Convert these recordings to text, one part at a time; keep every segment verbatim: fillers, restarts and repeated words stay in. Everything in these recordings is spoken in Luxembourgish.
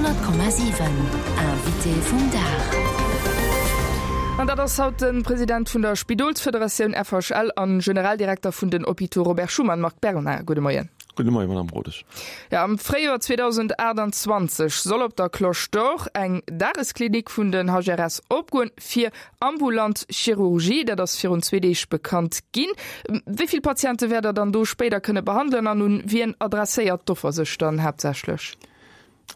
Honnert Komma siwen, Invité vum Dag. An dat ass haut de President vun der Spidolsfederatioun F H L an Generaldirekter vun den Hôpitaux Robert Schuman, Marc Bernard. Gudde Moien. Gudde Moien, Madame Rodesch. Ja, am Fréijoer zweedausendaachtanzwanzeg soll op der Cloche d'Or eng Dagesklinik vun den H R S opgoen fir ambulant Chirurgie. Dat ass virun zwee Deeg bekannt ginn. Wéi vill Patiente wäert der dann do spéider kënne behandelen an un wien adresséiert d'Offer sech dann haaptsächlech?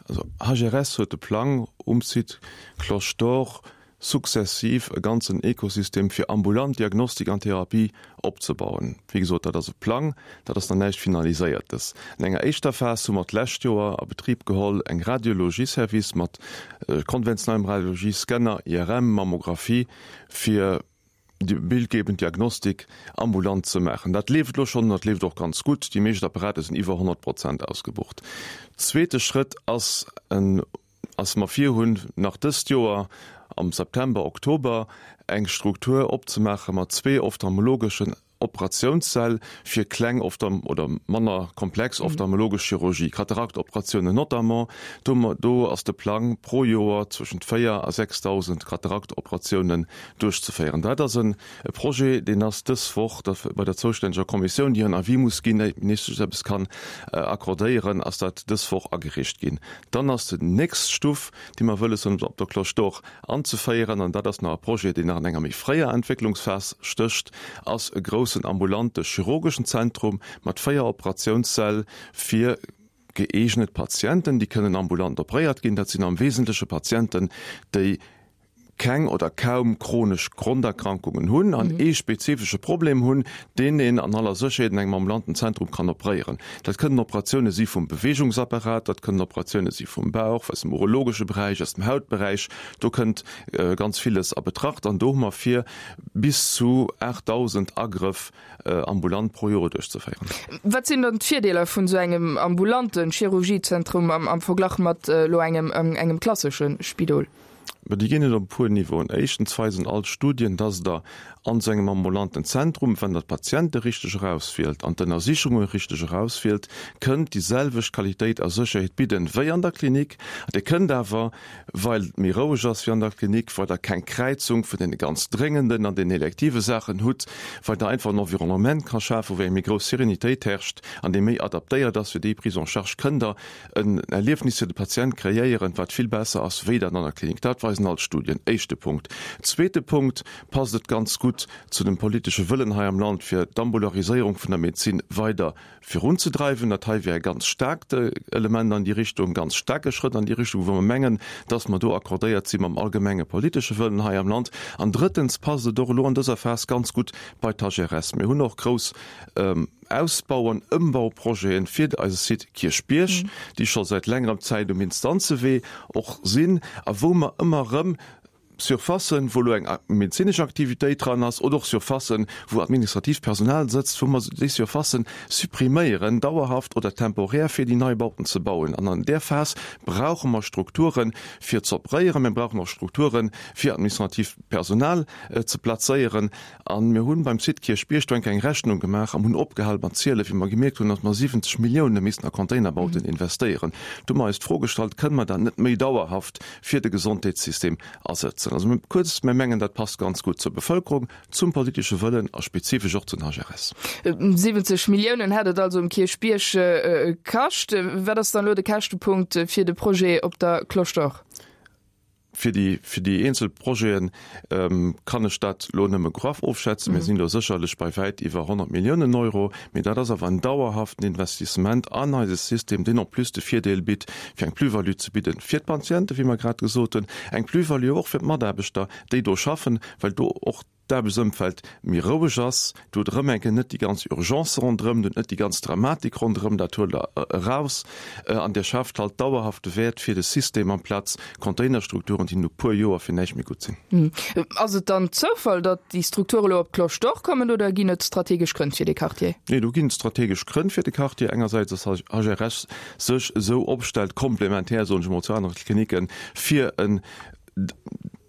Also H R S huet de Plang, um Site Cloche d'Or sukzessiv e ganzen Ekosystem fir ambulant Diagnostik an Therapie opzebauen. Wéi gesot, dat ass e Plang, dat ass nach näischt Finaliséiertes. An enger éischter Phas hu mer d'lescht Joer a Betrib geholl eng Radiologieservice mat konventionellem Radiologie, Scanner, I R M, Mammographie, fir déi bildgebend Diagnostik ambulant ze maachen. Dat leeft elo schonn, dat leeft och ganz gutt. Déi meescht Apparate sinn iwwer honnert Prozent ausgebucht. Zweete Schrëtt ass en ass mer virhunn, nach dëst Joer am September, Oktober eng Struktur opzemaache mat zwee ophtalmologeschen Operatiounssäll fir kleng oder manner komplex ophtalmologesch Chirurgie, Kataraktoperatiounen notamment. Do, do ass de Plang, pro Joer zwëschent véier a sechsdausend Kataraktoperatiounen duerchzeféieren. Dat ass e Projet, deen ass dës Woch bei der zoustänneger Kommissioun, déi en Avis muss ginn, éier d'Ministesch eppes kann accordéieren, ass dat dës Woch agereecht ginn. Dann ass déi nächst Stuff, déi mer wëlles hunn op der Cloche d'Or anzeféieren, an dat ass nach e Projet, deen nach an enger méi fréier Entwécklungsphas stécht, ass e groussen ambulante chirurgeschen Zentrum mat véier Operatiounssäll fir gëeegnet Patienten, déi kënnen ambulant operéiert ginn. Dat sinn am Wesentleche Patienten, déi keng oder kaum chronesch Gronderkrankungen hunn an ee spezifesche Problem hunn, deen een an aller Sécherheet an engem ambulanten Zentrum kann operéieren. Dat kënnen Operatioune si vum Beweegungsapparat, dat kënnen Operatioune si vum Bauch, aus dem urologesche Beräich, aus dem Hautberäich. Do kënnt ganz villes a Betracht an do hu mer vir, bis zu aachtdausend Agrëff ambulant pro Joer duerchzeféieren. Wat sinn dann d'Virdeeler vun esou engem ambulanten Chirurgiezentrum am am Verglach mat elo engem engem klassesche Spidol? Mä déi ginn et op e puer Niveauen. Éischtens weisen all d'Studien, dass Der an esou engem ambulanten Zentrum, wann Der d'Patiente richteg erauswielt an d'Ënnersichunge richteg erauswielt, kënnt déi selwecht Qualitéit a Sécherheet bidden wéi an der Klinik. Dir kënnt awer, well et méi roueg ass wéi an der Klinik, well Der keng Kräizung vun deene ganz dréngenden an den elektive Saachen hutt, well Der einfach en Environnement ka schafen, wou eng méi grouss Sérénitéit herrscht an dee méi adaptéiert ass fir déi Prise en charge, kënnt Der en Erliefnis fir de Patient kreéieren, wat vill besser ass wéi dat an der Klinik. Dat weisen all d'Studien. Éischte Punkt. Zweete Punkt, passt et ganz gutt zu dem politesche Wëllen hei am Land, fir d'Ambulariséierung vun der Medezin weider virunzedreiwen. Dat hei wär e ganz staarkt Element an déi Richtung, ganz staarke Schrëtt an déi Richtung, wou mer mengen, dass mer do accordéiert si mam allgemenge politesche Wëllen hei am Land. An drëttens passt et och elo an dëser Phas ganz gutt bei d'H R S. Mir hunn och grouss Ausbau an Ëmbauprojete fir eise Site Kierchbierg, déi scho säit längerem Zäit um Instanzewee och sinn a wou mer ëmmer erëm Surfacen, wou elo eng medezinesch Aktivitéit dran ass, oder och Surfacen, wou administratiivt Personal sëtzt, wou mer déi Surfacen suppriméieren, dauerhaft oder temporär, fir déi nei Bauten ze bauen. An an där Phas brauche mer Strukturen, fir ze operéieren. Mir brauchen och Strukturen, fir administratiivt Personal ze plazéieren. A mir hunn beim Site Kierchbierg do eng kleng Rechnung gemaach an hunn opgehal mat zielen, wéi mer gemierkt hunn, datt mer siwwenzeg Millioune missten a Containerbauten investéieren. Do hu mer eis d'Fro gestallt, Kënne mer dat net méi dauerhaft fir de Gesondheetssystem asetzen? Also kuerz, mir mengen, dat passt ganz gutt zur Bevëlkerung, zum politesche Wëllen a spezifesch och zu den H R S. siwwenzeg Milliounen hätt et also um Kierchbierg kascht. Wat ass dann elo de Käschtepunkt fir de Projet op der Cloche d'Or? Fir déi, fir déi eenzel Projete kann ech dat elo nëmme graff ofschätzen. Mir sinn do sécherlech bei wäit iwwer honnert Milliounen Euro. Mee dat ass awer en dauerhaften Investissement an eise System, deen en plus de Virdeel bitt, fir eng Plus-value ze bidden fir d'Patienten, wéi mer grad gesot hunn, eng Plus-value och fir d'Mataarbechter, déi do schaffen, well do och d'Aarbechtsëmfeld méi roueg ass. Do hutt Der erëm eng Kéier net déi ganz Urgence ronderëm, do hutt net déi ganz Dramatik ronderëm, dat huelt Der eraus an Dir schaaft halt dauerhafte Wäert fir de System amplaz Containerstrukturen, déi no puer Joer fir näischt méi gutt sinn. Ass et dann Zoufall, datt déi Strukture elo op d'Cloche d'Or kommen oder ginn et strategesch Grënn fir dee Quartier? Nee, do ginn et strategesch Grënn fir de Quartier. Engersäits, datt H R S sech esou opstellt, komplementär, soen ech emol, zu anere Klinicken, fir en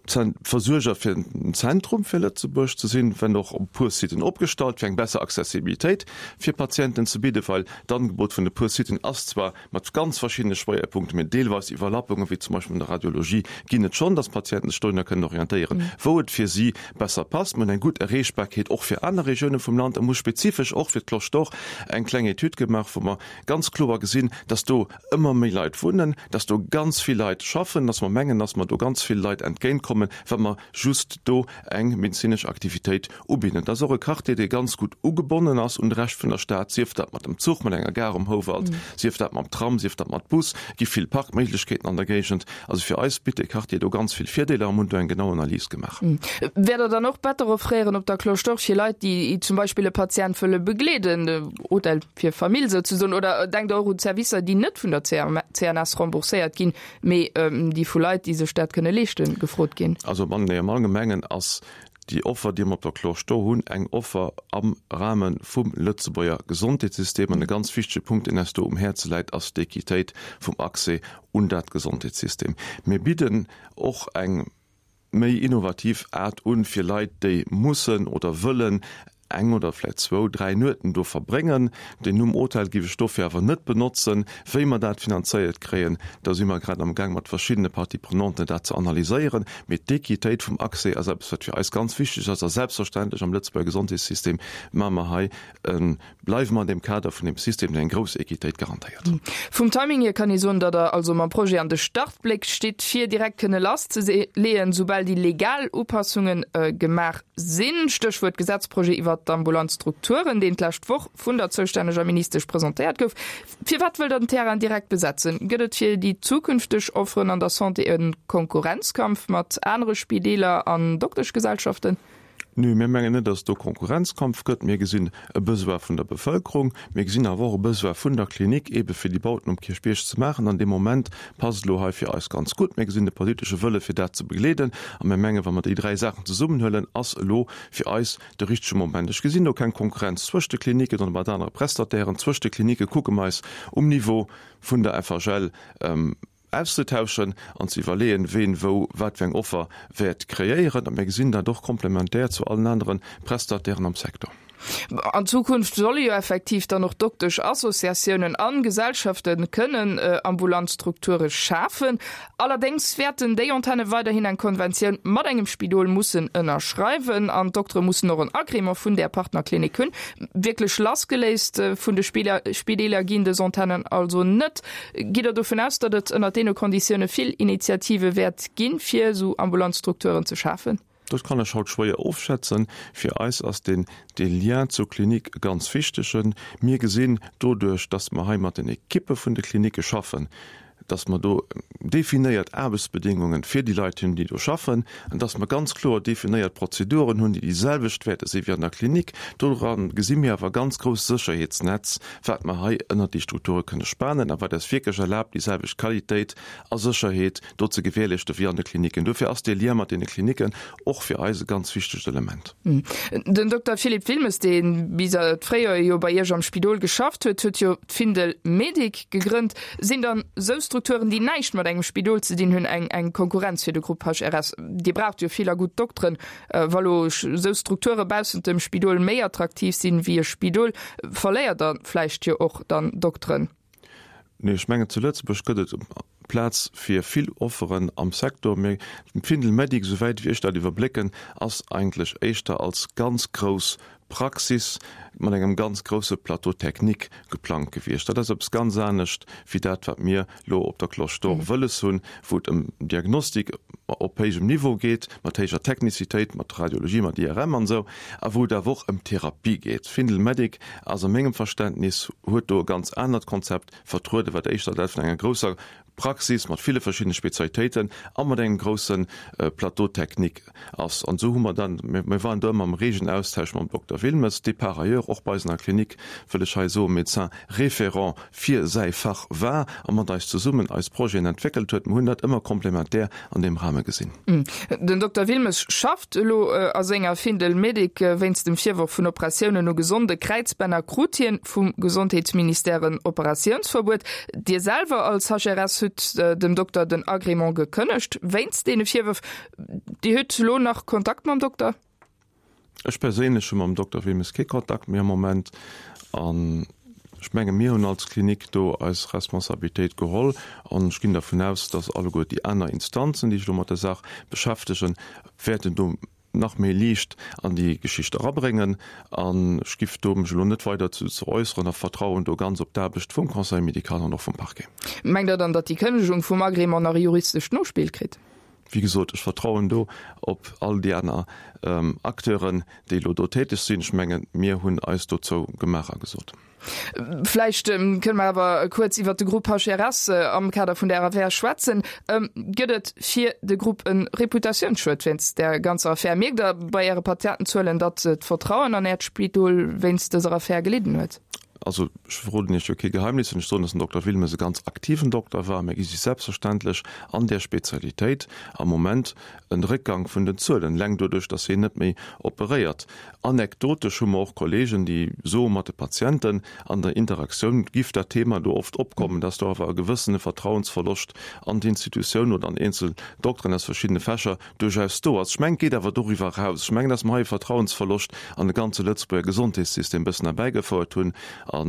Versuerger fir den Zentrum fir Lëtzebuerg ze sinn, wenn och op puer Siten opgestallt, fir eng besser Accessibilitéit fir Patienten ze bidden, well d'Angebot vun de puer Siten ass zwar mat ganz verschiddene Schwéierpunkten, mee deelweis Iwwerlappungen, wéi zum Beispill an der Radiologie, ginn et schonn, dass d'Patienten sech dohinner kënnen orientéieren, wou et fir si besser passt. Mir hunn eng gutt Erreechbarkeet och fir aner Regioune vum Land a mir hu spezifesch och fir d'Cloche d'Or eng kleng Etüd gemaach, wou mer ganz kloer gesinn, dass do ëmmer méi Leit wunnen, dass do ganz vill Leit schaffen, dass mer mengen, dass mer do ganz vill Leit entgéintkommen, wa mer just do eng medezinesch Aktivitéit ubidden. Et ass och e Quartier, dee ganz gutt ugebonnen ass un de Rescht vun der Stad, sief dat mat dem Zuch, mat enger Gare um Houwald, sief dat mam Tram, sief dat mat Bus. Et gi vill Parkméiglechkeeten an der Géigend. Also fir eis bitt dee Quartier do ganz vill Virdeeler a mir hunn do eng genau Analys gemaach. Wäert Der dann och Better offréieren op der Cloche d'Or fir Leit, déi zum Beispill e Patient wëlle begleeden, Hotel fir Famill souzesoen, oder denkt Der och un Servicer, déi net vun der C N S rembourséiert ginn, mee déi vu Leit, déi sech dat kënne leeschten, gefrot ginn? Also am Allgemengen ass déi Offer, déi mer op der Cloche d'Or hunn, eng Offer am Rahme vum Lëtzebuerger Gesondheetssystem. An e ganz wichtege Punkt, deen eis do um Häerze läit, ass d'Equitéit vum Accès un dat Gesondheetssystem. Mir bidden och eng méi innovativ Aart un, fir Leit, déi mussen oder wëllen eng oder vläicht zwou, dräi Nueten do verbréngen. Den Numm Hotel géif ech dofir awer net benotzen. Wéi mer dat finanzéiert kréien, do si mer grad am Gaang mat verschiddene Parties prenantes dat ze analyséieren. Mee d'Equitéit vum Accès ass eppes, wat fir eis ganz wichteg ass. A selbstverständlech am Lëtzebuerger Gesondheetssystem maache mer hei e, bleiwe mer an deem Kader vun deem System, deen eng grouss Equitéit garantéiert. Vum Timing hier kann ee soen, datt Der also mam Projet an de Startbléck stitt, fir direkt kënne lasszeleeën, soubal déi legal Upassunge gemaach sinn. Stéchwuert Gesetzprojet iwwert d'ambulant Strukturen, deen d'lescht Woch vun der zoustänneger Ministesch presentéiert gouf. Firwat wëllt Der den Terrain direkt besetzen? Gëtt et fir déi zukünfteg Offeren an der Santé e Konkurrenzkampf mat anere Spideeler an Dokteschgesellschaften? Nö, mir mengen net, dass et do Konkurrenzkampf gëtt. Mir gesinn e Besoin vun der Bevëlkerung. Mir gesinn awer och e Besoin vun der Klinik, eebe fir déi Bauten um Kierchbierg ze maachen. An dee Moment passt elo hei fir eis ganz gutt. Mir gesinn de politesche Wëlle fir dat ze begleeden. A mir mengen, wa mer déi dräi Saachen zesummenhuelen, ass elo fir eis de richtege Moment. Ech gesinn do keng Konkurrenz zwëscht de Kliniken oder mat anere Prestatairen. Zwëscht de Klinike kucke mer eis um Niveau vun der F H L auszetauschen an ze iwwerleeën, ween wou wat fir eng Offer wäert kreéieren. A mir gesinn dat och komplementär zu allen anere Prestatairen am Secteur. An Zukunft solle jo effektiv dann och Dokteschassociatiounen an Gesellschafte kënnen ambulant Strukture schafen. Allerdéngs wäerten déi Antenne weiderhin eng Konventioun mat engem Spidol mussen ënnerschreiwen an d'Doktere mussen och en Agrément vun där Partnerklinik hunn. Wierklech lassgeléist vun de Spideeler ginn dës Antennen also net. Gitt Der dovun aus, datt et ënnert deene Konditioune vill Initiative wäert ginn, fir esou ambulant Strukturen ze schafen? Dat kann ech haut schwéier ofschätzen. Fir eis ass den dee Lien zur Klinik e ganz wichtegen. Mir gesinn doduerch, dass mer hei mat den Ekippe vun de Klinicke schaffen, dass mer do definéiert Aarbechtsbedingungen fir déi Leit hunn, déi do schaffen, an dass mer ganz kloer definéiert Prozeduren hunn, déi déi selwecht wäerte si wéi an der Klinik. Doran gesi mir awer e ganz grousst Sécherheetsnetz, wat mer hei ënnert déi Strukture kënne spanen a wat eis wierklech erlaabt, déi selwecht Qualitéit a Sécherheet do ze gewährleeschte wéi an de Kliniken. Dofir ass dee Lien mat deene Kliniken och fir eis e ganz wichtegt Element. Den Dokter Philippe Wilmes, dee bis d'Fréijoer jo bei Iech am Spidol geschafft huet, huet jo d'Findel Medic gegrënnt. Sinn dann esou Strukturen, déi näischt mat engem Spidol ze dinn hunn, eng eng Konkurrenz fir de Grupp H R S? Dir braucht jo vill a gutt Dokteren. Wa lo esou Strukture baussent dem Spidol méi attraktiv sinn wéi e Spidol, verléiert Der vläicht jo och dann Dokteren? Nee, ech mengen zu Lëtzebuerg gëtt et Plaz fir vill Offeren am Secteur. Mee d'Findel Medic, esouwäit wéi ech dat iwwerblécken, ass eigentlech éischter als ganz grouss Praxis mat engem ganz grousse Plateau technique geplangt gewiescht. Dat ass eppes ganz anescht wéi dat, wat mir elo op der Cloche d'Or wëlles hunn, wou et ëm Diagnostik op héijem Niveau geet, mat héijer Technizitéit, mat Radiologie, mat I R M an esou, a wou et awer och ëm Therapie geet. Findel Medic ass a mengem Verständnis, huet do e ganz anert Konzept vertrueden, wat éischter dat vun enger grousser Praxis mat ville verschiddene Spezialitéiten a mat engem grousse Plateau technique ass. An esou hu mer dann, mir waren do ëmmer am regen Austausch mam Dokter Wilmes, dee par ailleurs och bei eis an der Klinik, wëll ech hei soen, Médecin référent fir säi Fach war a mat eis zesummen eis Projeten entwéckelt huet. Mir hunn dat ëmmer komplementär an deem Rahme gesinn. Den Dokter Wilmes schafft elo a senger Findel Medic. Wéinst dem Virworf vun Operatiounen u gesonde Kräizbänner krut hien vum Gesondheetsministère en Operatiounsverbuet. Dir selwer als H R S hutt dem Dokter den Agrément gekënnegt wéinst deene Virwërf. Dir hutt elo nach Kontakt mam Dokter? Ech perséinlech hu mam Dokter Wilmes kee Kontakt méi am Moment. An ech menge mir hunn als Klinik do eis Responsabilitéit geholl an ech ginn dervun aus, datt alleguer déi aner Instanzen, déi sech elo mat der Saach beschäftegen, wäerten do nach méi Liicht an déi Geschicht erabréngen. An ech giff do mech elo net weider zu ze äusseren a vertrauen do ganz op d'Aarbecht vum Conseil médical an och vum Parquet. Mengt Der dann, datt déi Kënnegung vum Agrément nach e juristescht Nospill kritt? Wéi gesot, ech vertrauen do op all déi aner Acteuren, déi elo do täteg sinn. Ech mengen, mir hunn eis dozou gemaach a gesot. Vläicht kënne mer awer kuerz iwwert de Grupp H R S am Kader vun där Affär schwätzen. Gëtt et fir de Grupp e Reputatiounsschued wéinst där ganzer Affär? Mierkt Der bei Äre Patientenzuelen, datt d'Vertrauen an Äert Spidol wéinst dëser Affär gelidden huet? Also, ech verroden Iech jo kee Geheimnis, wann ech soen, dass den Dokter Wilmes e ganz aktiven Dokter war. Mir gesi selbstverständlech an där Spezialitéit am Moment en Réckgang vun den Zuelen, eleng doduerch, dass hien net méi operéiert. Anekdotesch hu mer och Kollegen, déi soen, mat de Patienten an der Interaktioun giff dat Thema do oft opkommen, dass do awer e gewëssene Vertrauensverloscht an d'Institutioun oder an eenzel Dokteren aus verschiddene Fächer duerchaus do ass. Ech mengen, et geet awer doriwwer eraus. Ech mengen, dass mer hei e Vertrauensverloscht an de ganze Lëtzebuerger Gesondheetssystem e bëssen erbäigefouert hunn a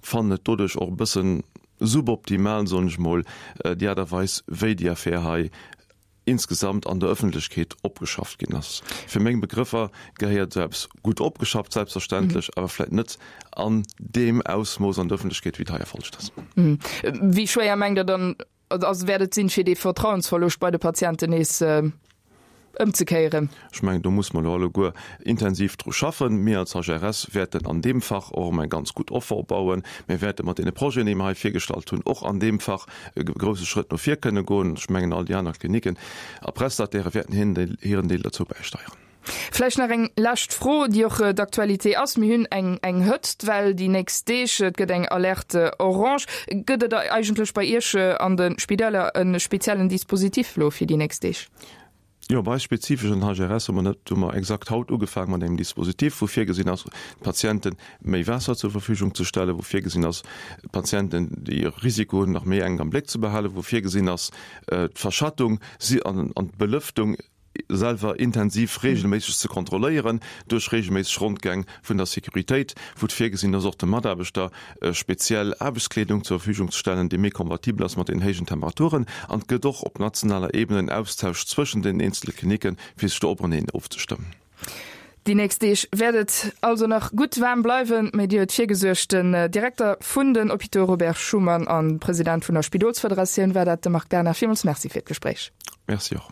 fannen et doduerch och e bëssen suboptimal, soen ech mol, déi Aart a Weis, wéi déi Affär hei insgesamt an der Ëffentlechkeet opgeschafft ginn ass. Fir meng Begrëffer gehéiert esou eppes gutt opgeschafft, selbstverständlech, awer vläicht net an deem Ausmooss an der Ëffentlechkeet, wéi et hei erfolegt ass. Wéi schwéier mengt Der dann, ass, wäert et sinn, fir dee Vertrauensverloscht bei de Patienten nees ëmzekéieren? Ech mengen, do muss mer elo alleguer intensiv dru schaffen. Mir als H R S wäerten an deem Fach och erëm eng ganz gutt Offer opbauen. Mir wäerte mat deene Projeten, déi mer hei virgestallt hunn, och an deem Fach e grouse Schrëtt no vir kënne goen. Ech mengen, all déi aner Kliniken a Prestataire wäerten hiren Deel dozou bäisteieren. Vläicht nach eng lescht Fro, déi och d'Aktualité ass. Mir hunn eng eng Hëtztwell déi nächst Deeg, et gëtt eng Alerte orange. Gëtt et eigentlech bei Iech an de Spideeler e speziellen Dispositif elo fir déi nächst Deeg? Jo, bei eis spezifesch an den H R S hu mer net, hu mer exakt haut ugefaangen mat engem Dispositif, wou virgesinn ass, de Patiente méi Waasser zur Verfügung ze stellen, wou virgesinn ass, d'Patienten, déi e Risiko hunn, nach méi enk am Bléck ze behalen, wou virgesinn ass, d'Verschattung an d'Belëftung selwer intensiv regelméisseg ze kontrolléieren duerch regelméisseg Rondgäng vun der Sécuritéit, wou et virgesinn ass, och de Mataarbechter speziell Aarbechtskleedung zur Verfügung ze stellen, déi méi kompatibel ass mat den héijen Temperaturen. An et gëtt och op nationaler Ebene en Austausch zwëschen den eenzele Klinicken, fir sech do openeen ofzestëmmen. Déi nächst Deeg wäert et also nach gutt waarm bleiwen, mee Dir huet virgesuergt. Den Direkter vun den Hôpitaux Robert Schuman an President vun der Spidolsfederatioun war dat, de Marc Werner. Villmools Merci fir d'Gespréich. Merci och.